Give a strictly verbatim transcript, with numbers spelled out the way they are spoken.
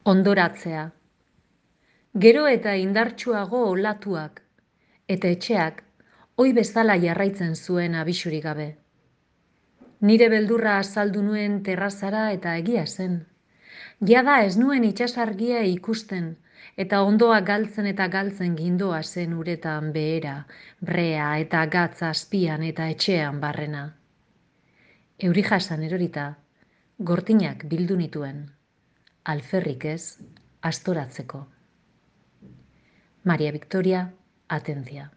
Ondoratzea. Gero eta indartsuago olatuak, eta etxeak ohi bezala jarraitzen zuen abisurik gabe. Nire beldurra azaldu nuen terrazara eta egia zen. Jada ez nuen itsasargia ikusten, eta ondoa galtzen eta galtzen gindoa zen uretan behera, brea eta gatz azpian eta etxean barrena. Euri jasan erorita, gortinak bildu nituen, alferrik ez, astoratzeko. Maria Victoria Atencia.